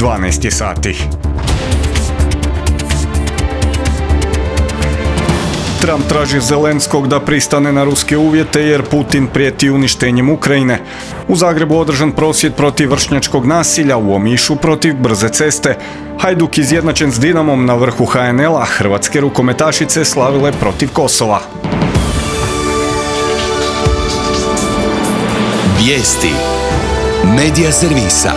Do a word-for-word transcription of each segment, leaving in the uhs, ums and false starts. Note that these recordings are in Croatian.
dvanaest je sati. Trump traži Zelenskog da pristane na ruske uvjete jer Putin prijeti uništenjem Ukrajine. U Zagrebu održan prosvjed protiv vršnjačkog nasilja, u Omišu protiv brze ceste. Hajduk izjednačen s Dinamom na vrhu ha en el a, hrvatske rukometašice slavile protiv Kosova. Vijesti Medija servisa.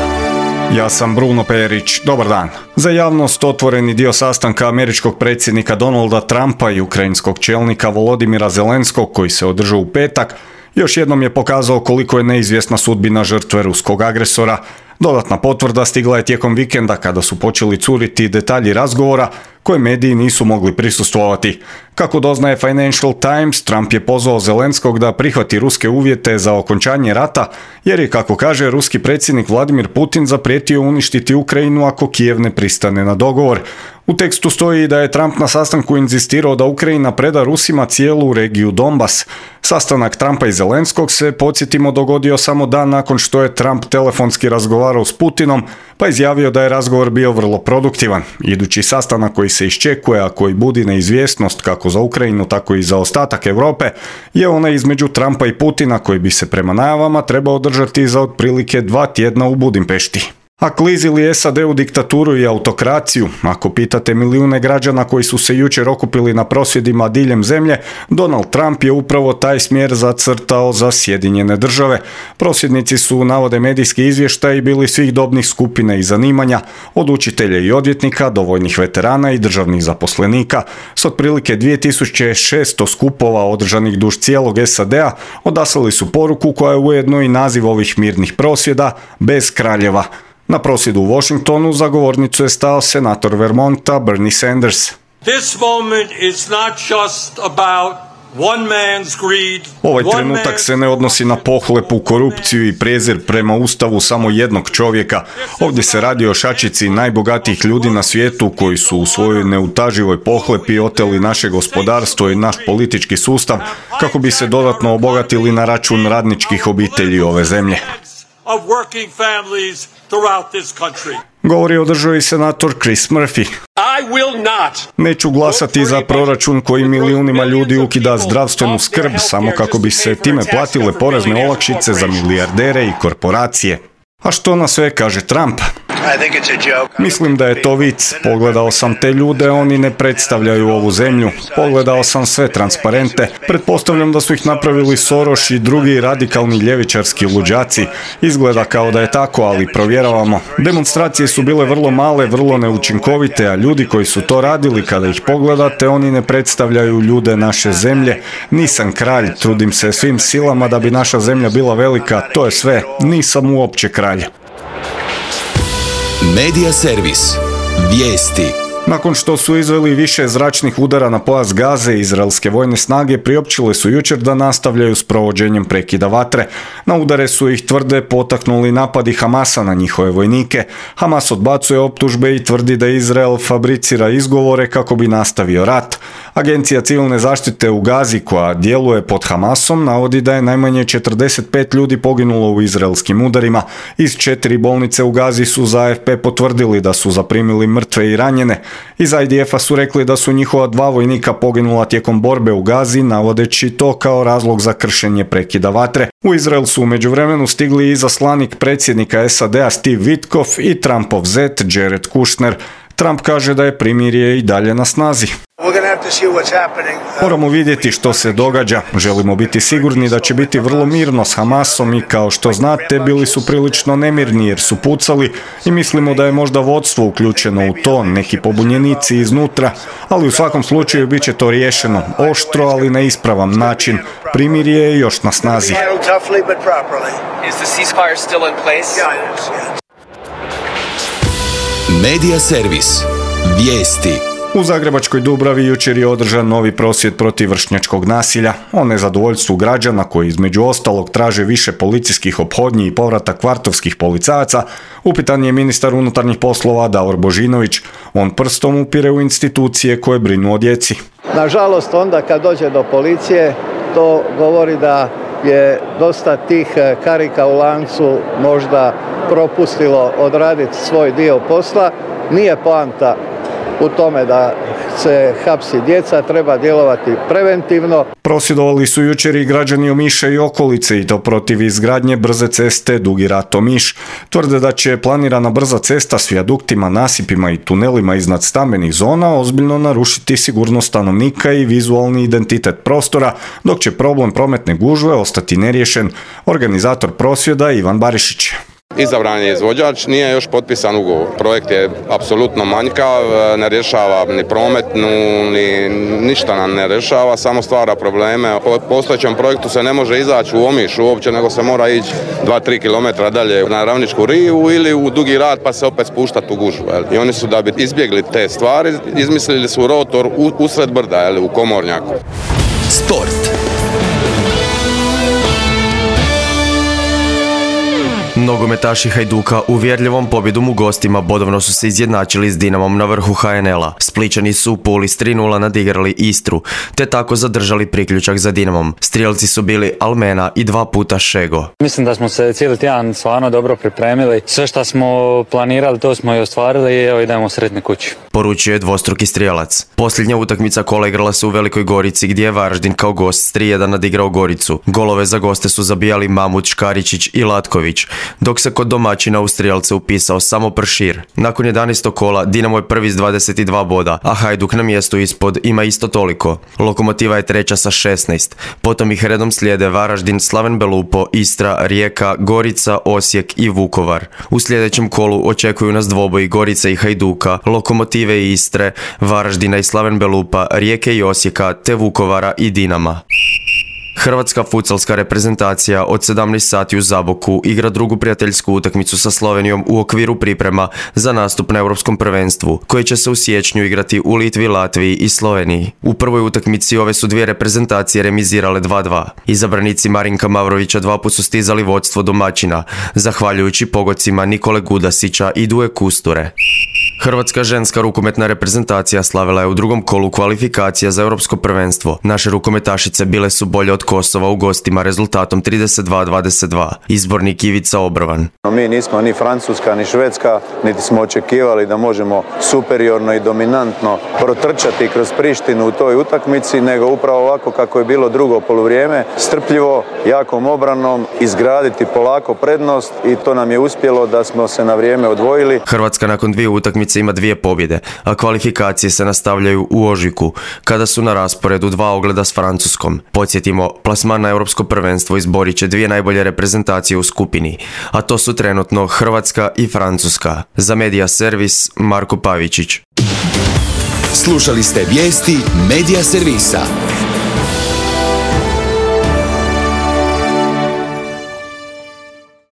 Ja sam Bruno Perić. Dobar dan. Za javnost otvoreni dio sastanka američkog predsjednika Donalda Trumpa i ukrajinskog čelnika Volodimira Zelenskog koji se održao u petak još jednom je pokazao koliko je neizvjesna sudbina žrtve ruskog agresora. Dodatna potvrda stigla je tijekom vikenda kada su počeli curiti detalji razgovora koje mediji nisu mogli prisustvovati. Kako doznaje Financial Times, Trump je pozvao Zelenskog da prihvati ruske uvjete za okončanje rata, jer je, kako kaže, ruski predsjednik Vladimir Putin zaprijetio uništiti Ukrajinu ako Kijev ne pristane na dogovor. U tekstu stoji da je Trump na sastanku inzistirao da Ukrajina preda Rusima cijelu regiju Donbas. Sastanak Trumpa i Zelenskog se, podsjetimo, dogodio samo dan nakon što je Trump telefonski razgovarao s Putinom, pa izjavio da je razgovor bio vrlo produktivan. Idući sastanak koji se iščekuje, a koji budi neizvjesnost kako za Ukrajinu, tako i za ostatak Europe, je onaj između Trumpa i Putina koji bi se prema najavama trebao održati za otprilike dva tjedna u Budimpešti. A klizi li es a de u diktaturu i autokraciju? Ako pitate milijune građana koji su se jučer okupili na prosvjedima diljem zemlje, Donald Trump je upravo taj smjer zacrtao za Sjedinjene države. Prosvjednici su, navode medijski izvještaji, bili svih dobnih skupina i zanimanja, od učitelja i odvjetnika do vojnih veterana i državnih zaposlenika. S otprilike dvije tisuće šesto skupova održanih duž cijelog es a de a odaslali su poruku koja je ujedno i naziv ovih mirnih prosvjeda: bez kraljeva. Na prosvjedu u Washingtonu za govornicu je stao senator Vermonta Bernie Sanders. This moment is not just about one man's greed. Ovaj trenutak se ne odnosi na pohlepu, korupciju i prezir prema ustavu samo jednog čovjeka. Ovdje se radi o šačici najbogatijih ljudi na svijetu koji su u svojoj neutaživoj pohlepi oteli naše gospodarstvo i naš politički sustav kako bi se dodatno obogatili na račun radničkih obitelji ove zemlje. Of working families throughout this country. Govori o državi senator Chris Murphy. I will not. Neću glasati za proračun koji milijunima ljudi ukida zdravstvenu skrb samo kako bi se time platile porezne olakšice za milijardere i korporacije. A što na sve kaže Trump? Mislim da je to vic. Pogledao sam te ljude, oni ne predstavljaju ovu zemlju. Pogledao sam sve transparente. Pretpostavljam da su ih napravili Soros i drugi radikalni ljevičarski luđaci. Izgleda kao da je tako, ali provjeravamo. Demonstracije su bile vrlo male, vrlo neučinkovite, a ljudi koji su to radili, kada ih pogledate, oni ne predstavljaju ljude naše zemlje. Nisam kralj, trudim se svim silama da bi naša zemlja bila velika, to je sve. Nisam uopće kralj. Medija servis. Vijesti. Nakon što su izveli više zračnih udara na pojas Gaze, izraelske vojne snage priopćile su jučer da nastavljaju s provođenjem prekida vatre. Na udare su ih, tvrde, potaknuli napadi Hamasa na njihove vojnike. Hamas odbacuje optužbe i tvrdi da Izrael fabricira izgovore kako bi nastavio rat. Agencija civilne zaštite u Gazi, koja djeluje pod Hamasom, navodi da je najmanje četrdeset pet ljudi poginulo u izraelskim udarima. Iz četiri bolnice u Gazi su za a ef pe potvrdili da su zaprimili mrtve i ranjene. Iz i de ef-a su rekli da su njihova dva vojnika poginula tijekom borbe u Gazi, navodeći to kao razlog za kršenje prekida vatre. U Izrael su u međuvremenu stigli i izaslanik predsjednika es a de a Steve Witkoff i Trumpov zet Jared Kushner. Trump kaže da je primirje i dalje na snazi. Moramo vidjeti što se događa. Želimo biti sigurni da će biti vrlo mirno s Hamasom i, kao što znate, bili su prilično nemirni jer su pucali i mislimo da je možda vodstvo uključeno u to, neki pobunjenici iznutra, ali u svakom slučaju bit će to riješeno oštro, ali na ispravan način. Primirje je još na snazi. Medija servis. Vijesti. U Zagrebačkoj Dubravi jučer je održan novi prosvjed protiv vršnjačkog nasilja. O nezadovoljstvu građana koji između ostalog traže više policijskih ophodnji i povratak kvartovskih policajaca, upitan je ministar unutarnjih poslova Davor Božinović. On prstom upire u institucije koje brinu o djeci. Nažalost, onda kad dođe do policije, to govori da je dosta tih karika u lancu možda propustilo odraditi svoj dio posla. Nije poanta u tome da se hapsi djeca, treba djelovati preventivno. Prosvjedovali su jučer i građani Omiša i okolice i to protiv izgradnje brze ceste Dugi Rat Omiš. Tvrde da će planirana brza cesta s vijaduktima, nasipima i tunelima iznad stambenih zona ozbiljno narušiti sigurnost stanovnika i vizualni identitet prostora, dok će problem prometne gužve ostati neriješen. Organizator prosvjeda Ivan Barišić. Izabran je izvođač, nije još potpisan ugovor. Projekt je apsolutno manjkav, ne rješava ni prometnu, ni ništa nam ne rješava, samo stvara probleme. Po postojećem projektu se ne može izaći u Omiš uopće, nego se mora ići dva do tri kilometra dalje na Ravničku rivu ili u Dugi Rat pa se opet spuštati u gužvu. I oni su, da bi izbjegli te stvari, izmislili su rotor u, usred brda, u Komornjaku. Sport. Nogometaši Hajduka uvjerljivom pobjedom u gostima bodovno su se izjednačili s Dinamom na vrhu ha en el a. Splićani su u Puli s tri nula nadigrali Istru, te tako zadržali priključak za Dinamom. Strijelci su bili Almena i dva puta Šego. Mislim da smo se cijeli tjedan stvarno dobro pripremili. Sve što smo planirali, to smo i ostvarili i evo idemo sretni kući. Poručio je dvostruki strijelac. Posljednja utakmica kola igrala se u Velikoj Gorici gdje je Varaždin kao gost s tri jedan nadigrao Goricu. Golove za goste su zabijali Mamut, Škaričić i Latković, dok se kod domaćina u strijelce upisao samo Pršir. Nakon jedanaestog kola Dinamo je prvi s dvadeset dva boda, a Hajduk na mjestu ispod ima isto toliko. Lokomotiva je treća sa šesnaest. Potom ih redom slijede Varaždin, Slaven Belupo, Istra, Rijeka, Gorica, Osijek i Vukovar. U sljedećem kolu očekuju nas dvoboji Gorice i Hajduka, Lokomotive i Istre, Varaždina i Slaven Belupa, Rijeke i Osijeka, te Vukovara i Dinama. Hrvatska futsalska reprezentacija od sedamnaest sati u Zaboku igra drugu prijateljsku utakmicu sa Slovenijom u okviru priprema za nastup na Europskom prvenstvu, koji će se u siječnju igrati u Litvi, Latviji i Sloveniji. U prvoj utakmici ove su dvije reprezentacije remizirale dva dva. Izabranici Marinka Mavrovića dva put su stizali vodstvo domaćina, zahvaljujući pogodcima Nikole Gudasića i Duje Kusture. Hrvatska ženska rukometna reprezentacija slavila je u drugom kolu kvalifikacija za Europsko prvenstvo. Naše rukometašice bile su bolje od Kosova u gostima rezultatom trideset dva dvadeset dva. Izbornik Ivica Obrovan. Mi nismo ni Francuska ni Švedska, niti smo očekivali da možemo superiorno i dominantno protrčati kroz Prištinu u toj utakmici, nego upravo ovako kako je bilo drugo poluvrijeme, strpljivo, jakom obranom, izgraditi polako prednost i to nam je uspjelo da smo se na vrijeme odvojili. Hrvatska nakon dvije utakmice ima dvije pobjede, a kvalifikacije se nastavljaju u ožujku, kada su na rasporedu dva ogleda s Francuskom. Podsjetimo, plasman na Europsko prvenstvo izborit će dvije najbolje reprezentacije u skupini, a to su trenutno Hrvatska i Francuska. Za Medija Servis, Marko Pavičić. Slušali ste vijesti Medija Servisa.